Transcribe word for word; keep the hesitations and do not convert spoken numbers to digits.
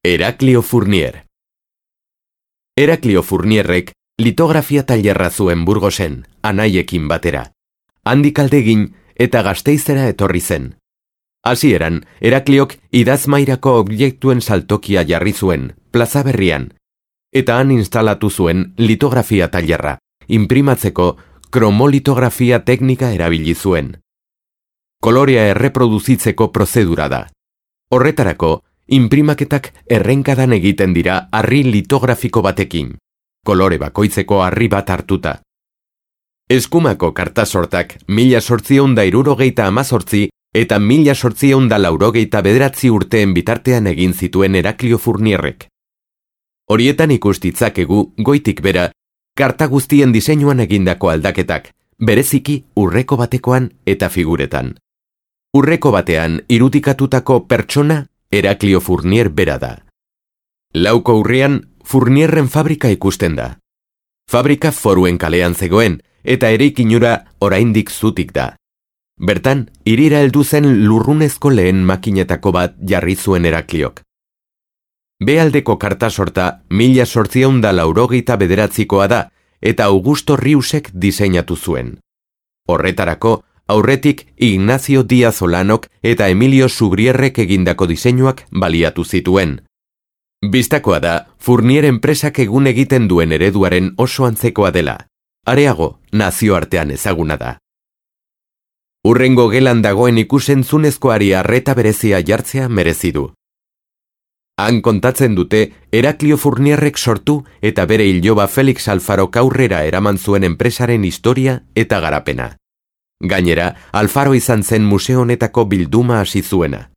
Heraklio Fournier. Heraklio Fournierrek litografia tailerra zuen Burgosen, anaiekin batera. Handik aldegin eta Gasteizera etorri zen. Hasieran, Herakliok idazmairako objektuen saltokia jarri zuen, plaza berrian, eta han instalatu zuen litografia tailerra, inprimatzeko kromolitografia teknika erabili zuen. Kolorea erreproduzitzeko prozedura da. Horretarako, inprimaketak errenkadan egiten dira harri litografiko batekin, kolore bakoitzeko harri bat hartuta. Eskumako kartasortak mila zortziehun da hirurogeita hamazortzi eta mila zortziehun da laurogeita bederatzi urteen bitartean egin zituen Heraklio Fournierrek. Horietan ikustitzakegu goitik bera, karta guztien diseinuan egindako aldaketak, bereziki urreko batekoan eta figuretan. Urreko batean irudikatutako pertsona Heraklio Fournier bera da. Lauko urrian Fournierren fabrika ikusten da. Fabrika Foruen kalean zegoen eta eraikinura oraindik zutik da. Bertan, hirira heldu zen lurrunezko lehen makinetako bat jarri zuen Herakliok. Bealdeko kartasorta mila zortziehun da laurogeita bederatzikoa da eta Augusto Riusek diseinatu zuen. Horretarako, aurretik Ignacio Díaz Olanok eta Emilio Sugrierrek egindako diseinuak baliatu zituen. Bistakoa da, Fournier enpresak egun egiten duen ereduaren oso antzekoa dela. Areago, nazioartean ezaguna da. Hurrengo gelan dagoen ikusentzunezkoari arreta berezia jartzea merezi du. Han kontatzen dute Heraklio Fournierrek sortu eta bere iloba Felix Alfarok aurrera eraman zuen enpresaren historia eta garapena. Gainera, Alfaro izan zen museo honetako bilduma hasi zuena.